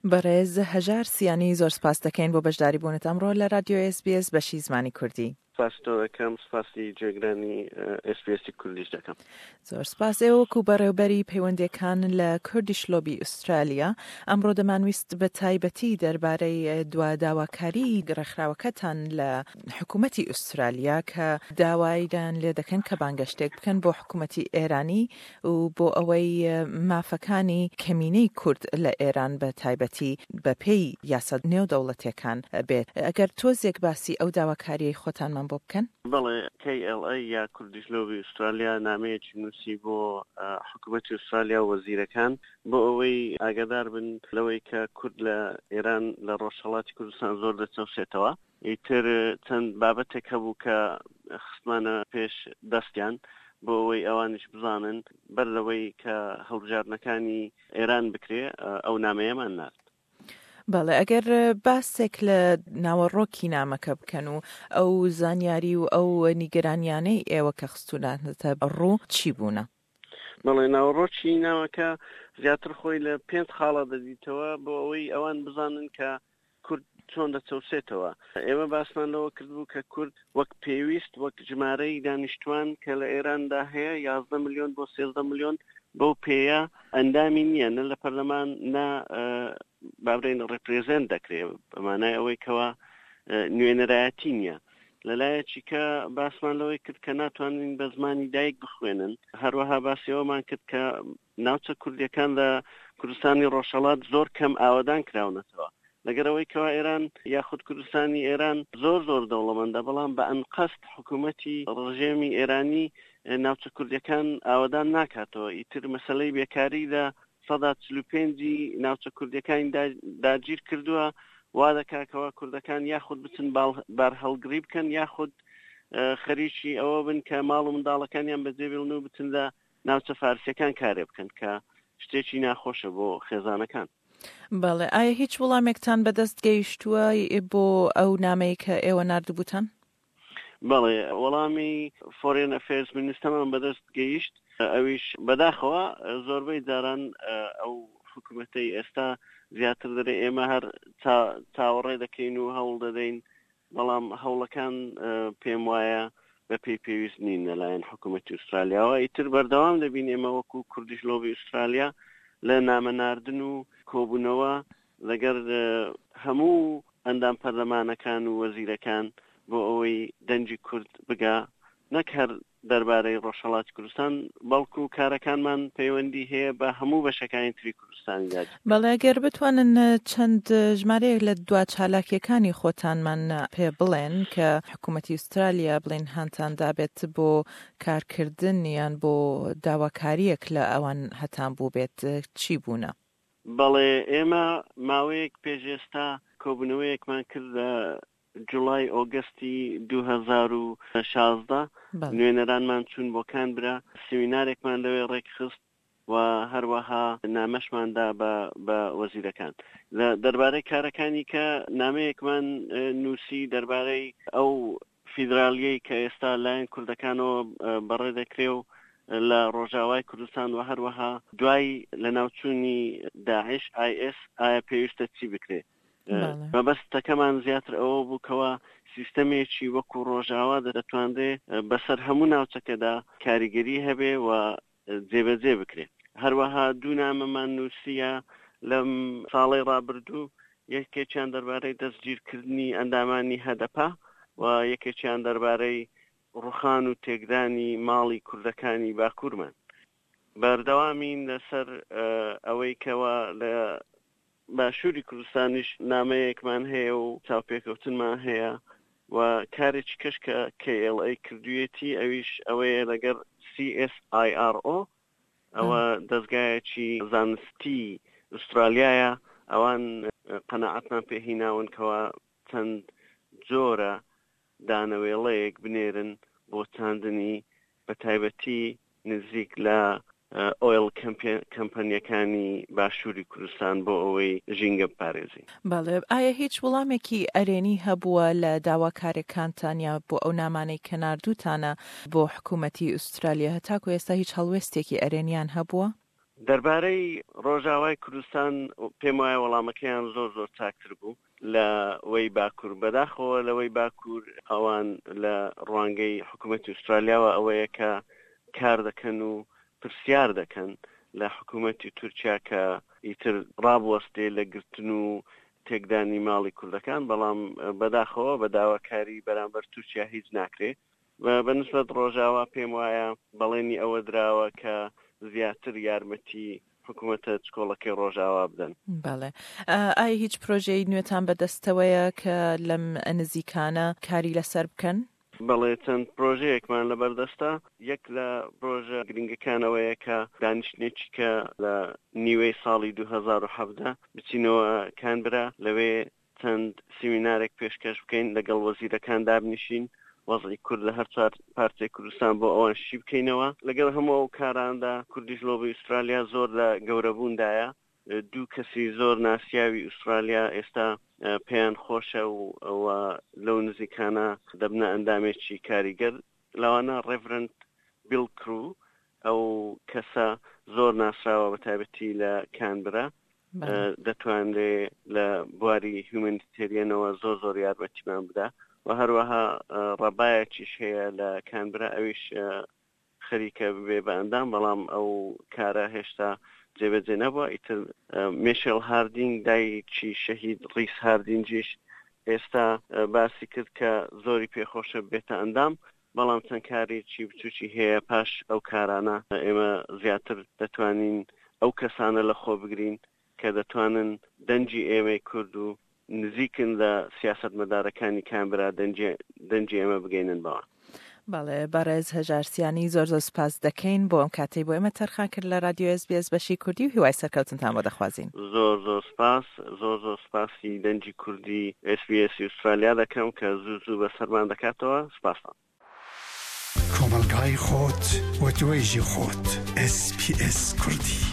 بەڕێز هەژار سیانی زۆر سپاست دەکەین بۆ بەشداری بوونت ئەمڕۆ لە رادیۆ ئێس بی ئێس بەشی زمانی کوردی. سپاسی تۆ دەکەم، سپاسی گوێگرانی ئێس بی ئێسی کوردیش دەکەم. زۆر سپاس. ئێوە وەکو بەڕێوبەری پەیوەندیەکان لە کوردیش لۆبی ئوسترالیا، ئەمڕۆ دەمانویست بە تایبەتی دەربارەی دوا داواکاریی ڕێکخراوەکەتان لە حکوومەتی ئوسترالیا کە داوایان لێ دەکەن کە بانگەشتێک بکەن بۆ حکوومەتی ئێرانی و بۆ ئەوەی مافەکانی کەمینەی کورد لە ئێران بە تایبەتی بە پێی یاسا نێودەوڵەتیەکان بێت. ئەگەر تۆزێک باسی ئەو داواکاریەی خۆتانمان بۆ بکەن؟ بەڵێ، KLA یا کوردیش لۆبی ئوسترالیا نامەیەکی نووسی بۆ حکوومەتی ئوسترالیا و وەزیرەکان بۆ ئەوەی ئاگادار بن لەوەی کە کورد لە ئێران لە ڕۆژهەڵاتی کوردستان زۆر دەچەوسێتەوە. ئیتر چەند بابەتێک هەبوو کە خستمانە پێش دەستیان بۆ ئەوەی ئەوانیش بزانن بەر لەوەی کە هەڵبژاردنەکانی ئێران بکرێ ئەو نامەیەمان نارد. بەڵێ ئەگەر باسێک لە ناوەڕۆکی نامەکە بکەن و ئەو زانیاری و ئەو نیگەرانیانەی ئێوە کە خستوونانەتە ڕوو چی بوونە؟ بەڵێ ناوەڕۆکی نامەکە زیاتر خۆی لە پێنج خاڵە دەدیتەوە بۆ ئەوەی ئەوان بزانن کە کورد چۆن دەچەوسێتەوە. ئێمە باسمان لەوە کردبوو کە کورد وەک پێویست وەک ژمارەی دانیشتوان کە لە ئێراندا هەیە 11 ملیۆن بۆ 13 ملیۆن بەو پێیە ئەندامی نییە نە لە پەرلەمان نە بابرێن ڕێپرێزنت دەکرێ بەمانای ئەوەی کەوا نوێنەرایەتی نییە. لەلایەکی کە باسمان لەوەی کرد کە ناتوانین بە زمانی دایک بخوێنن هەروەها باسی ئەومان کرد کە ناوچە کوردیەکان لە کوردستانی ڕۆژهەڵات زۆر کەم ئاوەدان کراونەتەوە. لەگەر ئەوەی کەوا ئێران یاخود کوردستانی ئێران زۆر زۆر دەوڵەمەندە بەڵام بە ئەنقەست حکوومەتی ڕژێمی ئێرانی ناوچە کوردیەکان ئاوەدان ناکاتەوە. ئیتر مەسەلەی بێکاری لە 45% ی ناوچە کوردیەکانی داگیر کردووە وا دەکا کەوا کوردەکان یاخود بچن بارهەڵگری بکەن یاخود خەریکی ئەوە بن کە ماڵ و منداڵەکانیان بەجێ بێڵن و بچن لە ناوچە فارسیەکان کارێ بکەن کە شتێکی ناخۆشە بۆ خێزانەکان. بەڵێ ئایا هیچ وڵامێکتان بەدەست گەیشتووە بۆ ئەو نامەی کە ئێوە ناردبووتان؟ بەڵێ وەڵامی فۆرێن ئەفێرز منیستەمان بەدەست گەیشت ئەویش بەداخەوە زۆربەی جاران ئەو حکوومەتەی ئێستا زیاتر دەرێ ئێمە هەر چاوەڕێ دەکەین و هەوڵ دەدەین بەڵام هەوڵەکان پێم وایە بە پێی پێویست نین لەلایەن حکوومەتی ئوسترالیاوە ئیتر بەردەوام دەبین ئێمە وەکو کوردیش لۆبی ئوسترالیا لە نامە ناردن و کۆبوونەوە لەگەر هەموو ئەندام پەرلەمانەکان و وەزیرەکان بۆ ئەوەی دەنگی کورد بگا نەک هەر دەربارەی ڕۆژهەڵاتی کوردستان بەڵکو کارەکانمان پەیوەندی هەیە بە هەموو بەشەکانی تری کوردستانی داگیر. بەڵێ گەر بتوانن چەند ژمارەیەک لە دوا چالاکیەکانی خۆتانمان پێ بڵێن کە حکوومەتی ئوسترالیا بڵێن هانتان دابێت بۆ کارکردن یان بۆ داواکاریەک لە ئەوان هەتان بووبێت چی بوونە؟ بەڵێ ئێمە ماوەیەک پێش ئێستا کۆبوونەوەیەکمان کرد لە جوڵای ئۆگەستی 2016 نوێنەرانمان چوون بۆ کانبرا سیمینارێکمان لەوێ ڕێکخست و هەروەها نامەشمان دا بە بە وەزیرەکان لە دەربارەی کارەکانی کە نامەیەکمان نووسی دەربارەی ئەو فیدرالیەی کە ئێستا لایەن کوردەکانەوە بەڕێ دەکرێ و لە ڕۆژاوای کوردستان و هەروەها دوای لەناوچوونی داعش ئای ئێس ئایا پێویستە چی بکرێ؟ مەبەستەکەمان زیاتر ئەوە بوو کەوا سیستەمێکی وەکو ڕۆژاوا دەتوانرێ بەسەر هەموو ناوچەکەدا کاریگەری هەبێ و جێبەجێ بکرێ. هەروەها دوو نامەمان نووسییە لەم ساڵەی ڕابردوو، یەکێکیان دەربارەی دەستگیرکردنی ئەندامانی هەدەپە و یەکێکیان دەربارەی ڕوخان و تێکدانی ماڵی کوردەکانی باکوورمان. بەردەوامین لەسەر ئەوەی کەوا لە باشووری کوردستانیش نامەیەکمان هەیە و چاوپێکەوتنمان هەیە و کارێکی کەش کە KLA کردوویەتی ئەویش ئەوەیە لەگەر CSIRO ئەوە دەزگایەکی زانستی ئوسترالیایە ئەوان قەناعەتمان پێ هیناون کەوا چەند جۆرە دانەوێڵەیەک بنێرن بۆ چاندنی بە تایبەتی نزیک لە ئۆیڵ کەمپەنیەکانی باشووری کوردستان بۆ ئەوەی ژینگە بپارێزین. بەڵێ ئایا هیچ وڵامێکی ئەرێنی هەبووە لە داواکارێکانتان یا بۆ ئەو نامانەی کە ناردووتانە بۆ حکوومەتی ئوسترالیا هەتاکو ئێستا هیچ هەڵوێستێکی ئەرێنیان هەبووە؟ دەربارەی ڕۆژاوای کوردستان پێم وایە وەڵامەکەیان زۆر زۆر چاکتر بوو لە وەی باکوور. بەداخەوە لەوەی باکوور ئەوان لە ڕوانگەی حکوومەتی ئوسترالیاوە ئەوەیە کە کار دەکەن و پرسیار دەکەن لە حکوومەتی تورکیا کە ئیتر ڕابوەستێ لە گرتن و تێکدانی ماڵی کوردەکان، بەڵام بەداخەوە بە داواکاری بەرامبەر تورکیا هیچ ناکرێ. بە نسبەت ڕۆژاوا پێم وایە بەڵێنی ئەوە دراوە کە زیاتر یارمەتی حکوومەتە چکۆڵەکەی ڕۆژاوا بدەن. بەڵێ. ئایا هیچ پرۆژەی نوێتان بەدەستەوەیە کە لەم نزیکانە کاری لەسەر بکەن؟ بەڵێ چەند پرۆژەیەکمان لەبەردەستە، یەک لە پرۆژە گرنگەکان ئەوەیە کە دانیشتنێکی کە لە نیوەی ساڵی 2017 بچینەوە کانبرا، لەوێ چەند سیمینارێک پێشکەش بکەین، لەگەڵ وەزیرەکان دابنیشین، وەزعی کورد لە هەر چوار پارچەی کوردستان بۆ ئەوان شی بکەینەوە. لەگەڵ هەموو ئەو کاراندا کوردیش لۆبی ئوسترالیا زۆر لە گەورەبووندایە، دوو کەسی زۆر ناسیاوی ئوسترالیا ئێستا پێیان خۆشە و لەو نزیکانە دەبنە ئەندامێکی کاریگەر، لەوانە ڕێڤرەند بیڵ کرو، ئەو کەسە زۆر ناسراوە بە تایبەتی لە کانبرا، دەتوانرێ لە بواری هیومەنیتێریەنەوە زۆر زۆر یارمەتیمان بدا و هەروەها ڕەبایەکیش هەیە لە کانبرا ئەویش خەریکە ببێ بە ئەندام، بەڵام ئەو کارە هێشتا جێبەجێ نەبووە. ئیتر مێشێڵ هاردینگ دایکی شەهید ڕیس هاردینگیش ئێستا باسی کرد کە زۆری پێخۆشە ببێتە ئەندام، بەڵام چەند کارێکی بچووکی هەیە، پاش ئەو کارانە ئێمە زیاتر دەتوانین ئەو کەسانە لەخۆ بگرین کە دەتوانن دەنگی ئێمەی کورد و نزیکن لە سیاسەتمەدارەکانی کانبرا دەنگی دەنگی ئێمە بگەینن بەوان. بەڵێ بەڕێز هەژار سیانی زۆر زۆر سوپاست دەکەین بۆ ئەم کاتەی بۆ ئێمە تەرخان کرد لە رادیۆ ئێس بی ئێس بەشی کوردی و هیوای سەرکەوتنتان بۆ دەخوازین. زۆر زۆر سوپاس زۆر زۆر سوپاسی دەنگی کوردی ئێس بی ئێسی ئوسترالیا دەکەم کە زوو زوو بەسەرمان دەکاتەوە سوپاستان. کۆمەڵگای خۆت و توێژی خۆت ئێس پی ئێس کوردی.